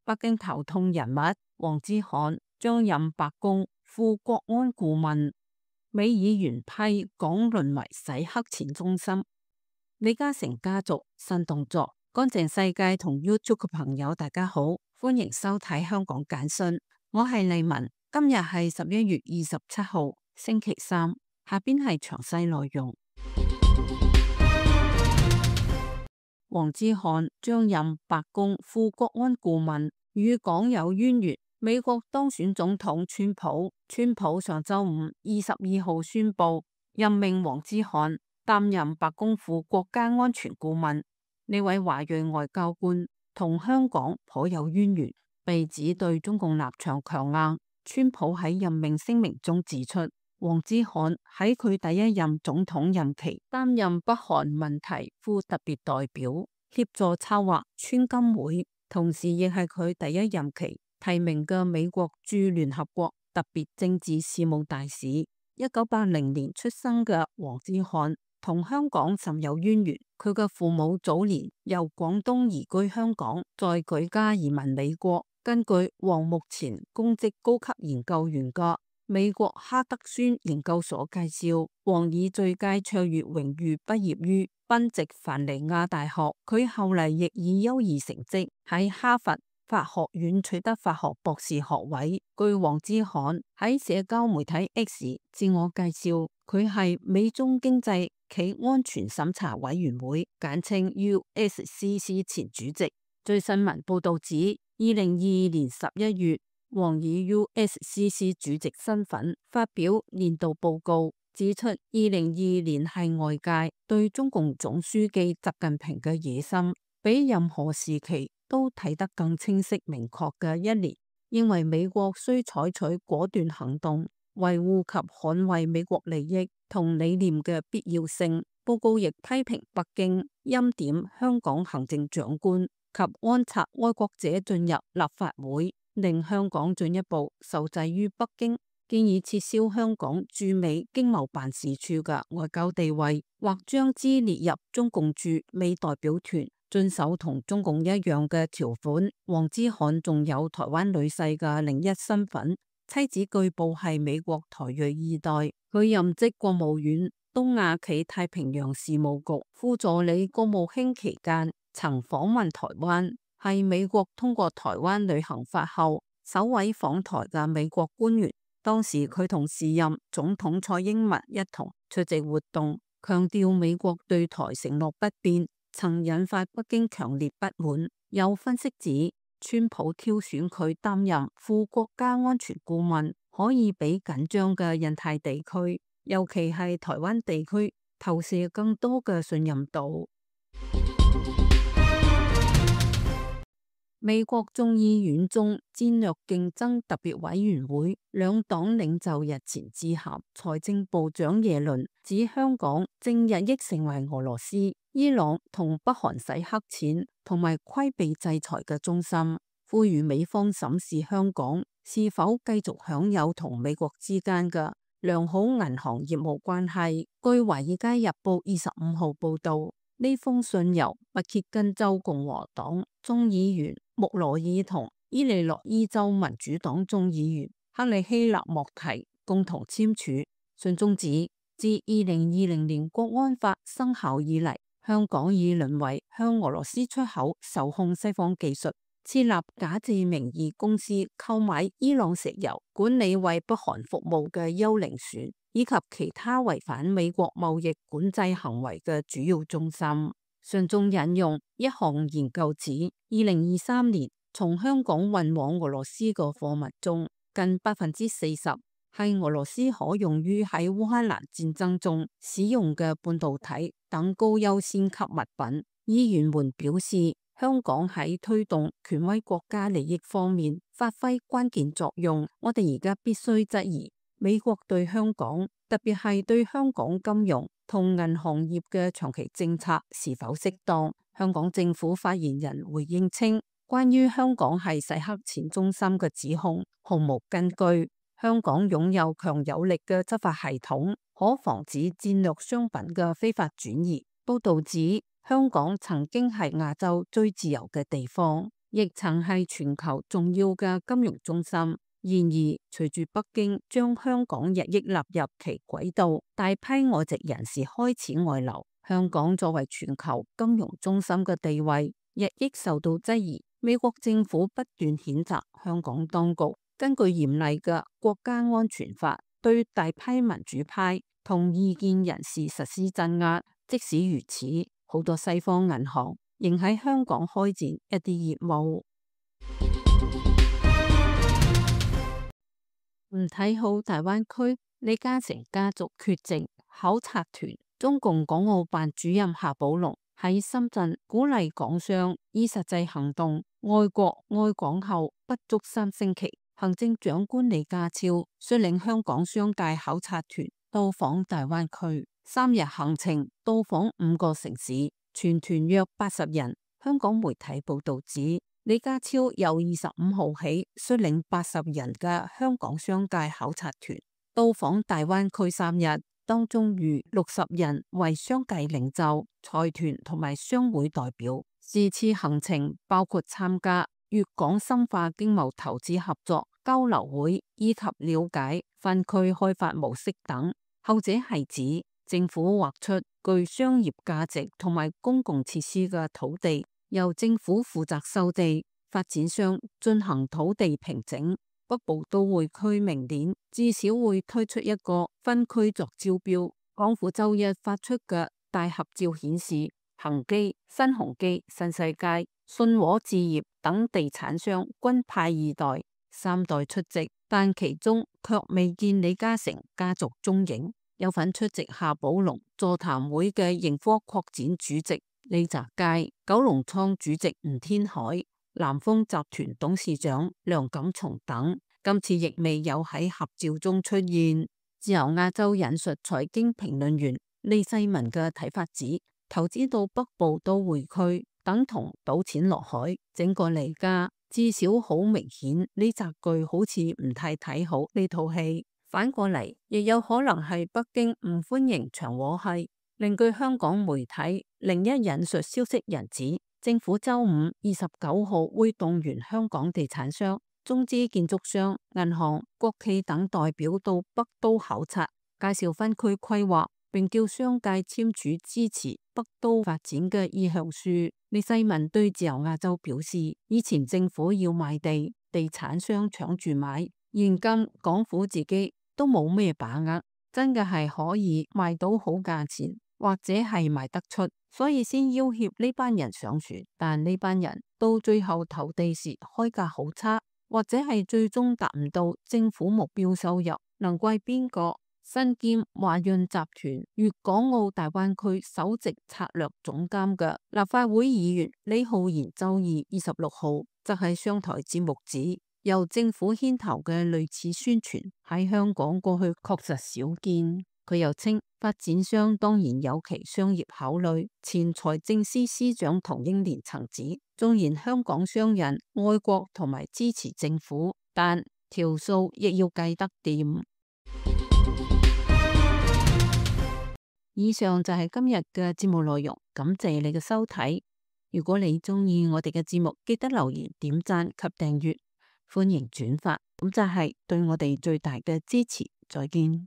北京頭痛人物王之愷將任白宮副國安顧問，美議員批港淪為洗黑錢中心。李嘉誠家族新動作，乾淨世界同 YouTube 嘅朋友大家好，歡迎收睇香港簡訊，我係麗文，今日係11月27號星期三，下邊係詳細內容。王之愷將任白宮副國安顧問，與港有淵源。美國當選總統川普上周五22號宣布任命王之愷擔任白宮副國家安全顧問。呢位華裔外交官同香港頗有淵源，被指對中共立場強硬。川普喺任命聲明中指出，王之愷喺佢第一任總統任期擔任北韓問題副特別代表，協助策劃川金會，同時亦係佢第一任期提名嘅美國駐聯合國特別政治事務大使。1980年出生嘅王之愷同香港甚有淵源，佢嘅父母早年由廣東移居香港，再舉家移民美國。根據王目前公職高級研究員嘅美國哈德遜研究所介紹，王以最佳卓越榮譽畢業於賓夕凡尼亞大學，佢後嚟亦以優異成績喺哈佛法學院取得法學博士學位。據王之愷喺社交媒體 X 自我介紹，佢係美中經濟暨安全審查委員會簡稱 USCC 前主席。據新聞報道指，2022年11月，王以 USCC 主席身份發表年度報告，指出2022年係外界對中共總書記習近平嘅野心比任何時期都睇得更清晰明確嘅一年，認為美國需採取果斷行動，維護及捍衛美國利益同理念嘅必要性。報告亦批評北京欽點香港行政長官及安插愛國者進入立法會，令香港進一步受制於北京，建議撤銷香港駐美經貿辦事處嘅外交地位，或將之列入中共駐美代表團，遵守同中共一樣嘅條款。王之愷仲有台灣女婿嘅另一身份，妻子據報係美國台裔二代。佢任職國務院東亞暨太平洋事務局副助理國務卿期間，曾訪問台灣，係美國通過台灣旅行法後首位訪台嘅美國官員。當時佢同時任總統蔡英文一同出席活動，強調美國對台承諾不變，曾引發北京強烈不滿。有分析指，川普挑選佢擔任副國家安全顧問，可以俾緊張嘅印太地區，尤其係台灣地區投射更多嘅信任度。美國眾議院中戰略競爭特別委員會兩黨領袖日前致函財政部長耶倫，指香港正日益成為俄羅斯、伊朗同北韓洗黑錢同埋規避制裁嘅中心，呼籲美方審視香港是否繼續享有同美國之間嘅良好銀行業務關係。據華爾街日報25號報道，呢封信由密歇根州共和黨眾議員穆羅爾同伊利諾伊州民主黨眾議員克里希納莫提共同簽署。信中指，自2020年國安法生效以嚟，香港已淪為向俄羅斯出口受控西方技術、設立假借名義公司購買伊朗石油、管理為北韓服務嘅幽靈船，以及其他違反美國貿易管制行為嘅主要中心。信中引用一項研究指，2023年從香港運往俄羅斯嘅貨物中，近40%係俄羅斯可用於喺烏克蘭戰爭中使用嘅半導體等高優先級物品。議員們表示，香港喺推動權威國家利益方面發揮關鍵作用。我哋而家必須質疑美國對香港，特別係對香港金融同銀行業嘅長期政策是否適當。香港政府發言人回應稱，關於香港係洗黑錢中心嘅指控毫無根據。香港擁有強有力嘅執法系統，可防止戰略商品嘅非法轉移。報道指，香港曾經係亞洲最自由嘅地方，亦曾係全球重要嘅金融中心。然而，隨住北京將香港日益納入其軌道，大批外籍人士開始外流，香港作為全球金融中心嘅地位日益受到質疑。美國政府不斷譴責香港當局根據嚴厲嘅國家安全法，對大批民主派同異見人士實施鎮壓。即使如此，好多西方銀行仍喺香港開展一啲業務。唔睇好大灣區，李嘉誠家族缺席考察團。中共港澳辦主任夏寶龍喺深圳鼓勵港商以實際行動愛國愛港後不足3星期，行政長官李家超率領香港商界考察團到訪大灣區，3日行程到訪5個城市，全團約80人。香港媒體報道指，李家超由25號起率領80人嘅香港商界考察團到訪大灣區3日，當中逾60人為商界領袖、財團同埋商會代表。是次行程包括參加粵港深化經貿投資合作交流會，以及了解分區開發模式等。後者係指政府劃出具商業價值同埋公共設施嘅土地，由政府負責收地，發展商進行土地平整。北部都會區明年至少會推出一個分區作招標。港府周一發出嘅大合照顯示，恒基、新鴻基、新世界、信和置業等地產商均派2代、3代出席，但其中卻未見李嘉誠家族蹤影。有份出席夏寶龍座談會嘅盈科擴展主席李澤楷、九龍倉主席吳天海、南豐集團董事長梁錦松等，今次亦未有喺合照中出現。自由亞洲引述財經評論員李世民嘅睇法指，投資到北部都會區等同賭錢落海，整個嚟家至少好明顯，呢集句好似唔太睇好呢套戲。反過嚟，亦有可能係北京唔歡迎長和系。另據香港媒體另一引述消息人指，政府周5 29號會動員香港地產商、中資建築商、銀行、國企等代表到北都考察，介紹分區規劃，並叫商界簽署支持北都發展嘅意向書。李世民對自由亞洲表示，以前政府要賣地，地產商搶住買，現今港府自己都冇咩把握，真嘅係可以賣到好價錢，或者係賣得出，所以先要挾呢班人上船。但呢班人到最後投地時開價好差，或者係最終達唔到政府目標收入，能怪邊個？身兼華潤集團粵港澳大灣區首席策略總監嘅立法會議員李浩然周二26號則喺商台節目指，由政府牽頭嘅類似宣傳喺香港過去確實少見。佢又稱，發展商當然有其商業考慮。前財政司司長唐英年曾指，縱然香港商人愛國同埋支持政府，但條數亦要計得掂。以上就係今日嘅節目內容，感謝你嘅收睇。如果你鍾意我哋嘅節目，記得留言、點讚及訂閱。歡迎轉發，咁就係對我哋最大嘅支持。再見。